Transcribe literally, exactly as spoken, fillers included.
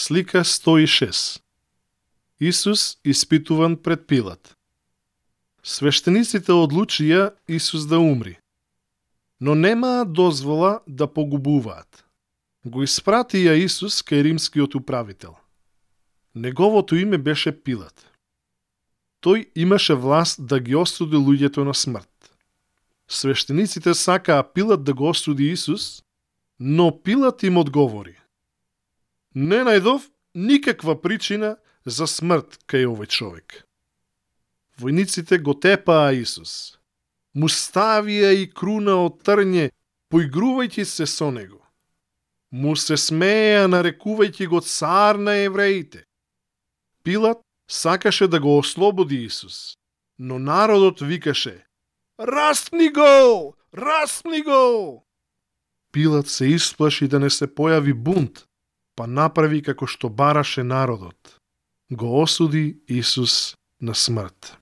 Слика сто и шест. Исус испитуван пред Пилат. Свештениците одлучија Исус да умри, но немаа дозвола да погубуваат. Го испратија Исус кај римскиот управител. Неговото име беше Пилат. Тој имаше власт да ги осуди луѓето на смрт. Свештениците сакаа Пилат да го осуди Исус, но Пилат им одговори: не најдов никаква причина за смрт кај овој човек. Војниците го тепаа Исус. Му ставија и круна од трње, поигрувајќи се со него. Му се смееа, нарекувајќи го цар на евреите. Пилат сакаше да го ослободи Исус, но народот викаше: распни го! Распни го! Пилат се исплаши да не се појави бунт, па направи како што бараше народот. Го осуди Исус на смрт.